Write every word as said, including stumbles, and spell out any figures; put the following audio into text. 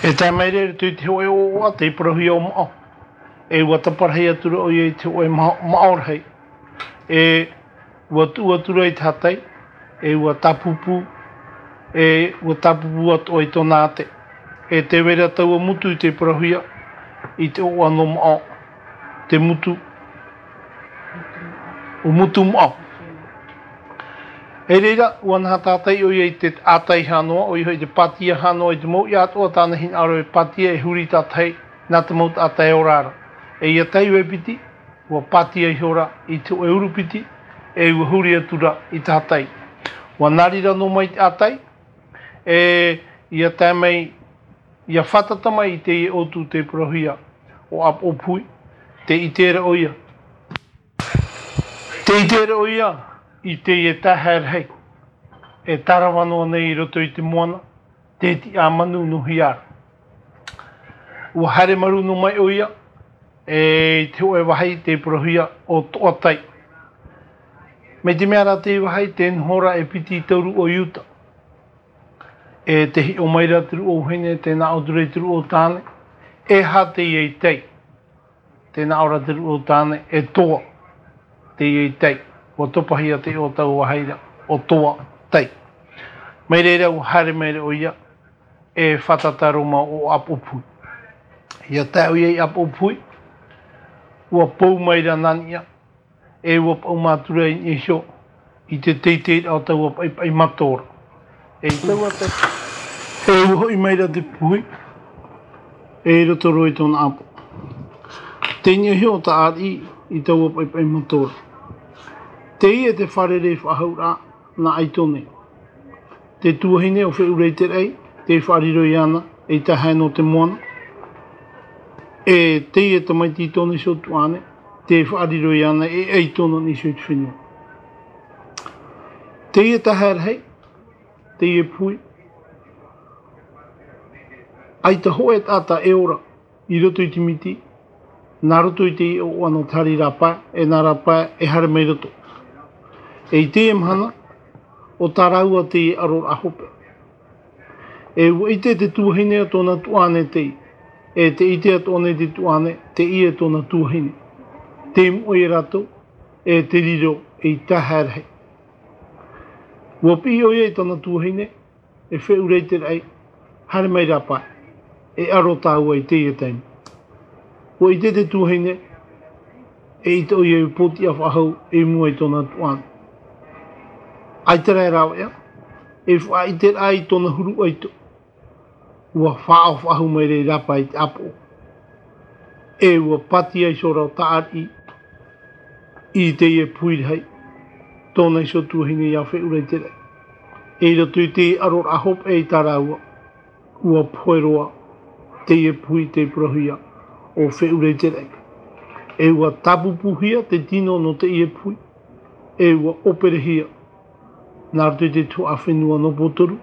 E tae mai ra i roto i te hōʻē ʻoaʻoa, te parauhia ʻo Maʻo. E ua taparahi atu ra ʻoia i te hōʻē ma-, maʻo rahi. E ua tuʻu atu ra i te hātai, e ua tāpūpū, e ua tāpūpū atoʻa i tōna ate. E tē vai ra taua motu i te parauhia i te ʻoaʻoa nō Maʻo, te motu, ʻo Motumaʻo. I reira, ua naha tātai ʻoia i te ʻātai hānoa, ʻoia hoʻi te pātia hānoa i te mau iʻa atoʻa tāna hinaʻaro e pātia e huri tātahi nā te mau taʻata e ora ra. E ia tae i te piti, ua pātia ihora i te hōʻē urupiti, e ua huri atu ra i te hātai. Ua nari ra noa mai te ʻātai, e ia tae mai, ia fātata mai i teie ʻōtū te parauhia ʻo ʻApoʻopuhi, tē ʻite ra ʻoia. Tē ʻite ra ʻoia i teie taehae rahi e tārava noa nei i roto i te moana, te tiʻamanu nō Hiara. Ua haere marū noa mai ʻoia, e i te hōʻē vāhi te parauhia ʻo Toʻatai. Mai te mea rā te vāhi tē noho ra e piti tauru ʻo Iuta. E tē hiʻo mai ra te rūʻau vahine, tē nā ʻō atu ra i te rūʻau tāne, e aha teie i tai? Tē nā ʻō ra te rūʻau tāne, e Toa teie i tai. Ua topahia te iʻoa o taua vāhi ra, ʻo Toatai. Mai reira ua haere mai ra ʻoia, e fātata roa mai ʻo ʻApoʻopuhi. Ia tae ʻoia i ʻApoʻopuhi, ua pou mai ra nā niʻa, e ua paʻuma atu ra i niʻa iho i te teiteiraʻa o taua paʻipaʻi matora. E i taua te, e ua hoʻi mai ra te puhi, e i roto roa i tōna ʻapo. Tei niʻa iho o Taʻariʻi i taua paʻipaʻi matora. Teie te fārerei faʻahouraʻa nā ʻAitone. Te tuahine ʻo Feʻureiteraʻi, tē faʻariro iāna ei taehae nō te moana. E teie tamaiti i tōna iho tuaʻane, tē faʻariro iāna e ʻAitone nā niʻa iho i te fenua. Teie taehae rahi, teie puhi, ʻaita hōʻē taʻata e ora i roto i te miti, nā roto i te iʻoa nō te hari rāpae, e nā rāpae e haere mai roto. E i teie mahana, ʻo tā rāua teie ʻaroraʻa hope. E ua ʻite te tuahine o tōna tuaʻane tei, e tē ʻite atoʻa nei te tuaʻane, teie tōna tuahine. Tē moʻe ia rātou, e tē riro ei taehae rahi. Ua piʻi ʻoia i tōna tuahine, e Feʻureiteraʻi, haere mai rāpae, e ʻaro tāua i teie taime. Ua ʻite te tuahine, e ʻite ʻoia i pōtiʻa faʻahou i mua i tōna tuaʻane. ʻAita rā e rāveʻa, e faʻaʻite ra i tōna huru ʻaito. Ua faʻaʻau faʻahou mai ra i rāpae i te ʻāpoʻo. E ua pātia iho ra ʻo Taʻariʻi i teie puhi rahi, tōna iho tuahine ia Feʻureiteraʻi. E i roto i te ʻaroraʻa hope i tā rāua, ua pohe roa teie puhi tei parauhia ʻo Feʻureiteraʻi. E ua tāpūpūhia te tino nō teie puhi, e ua ʻōperehia nā roto i te tuhaʻa fenua nō Pōtoru,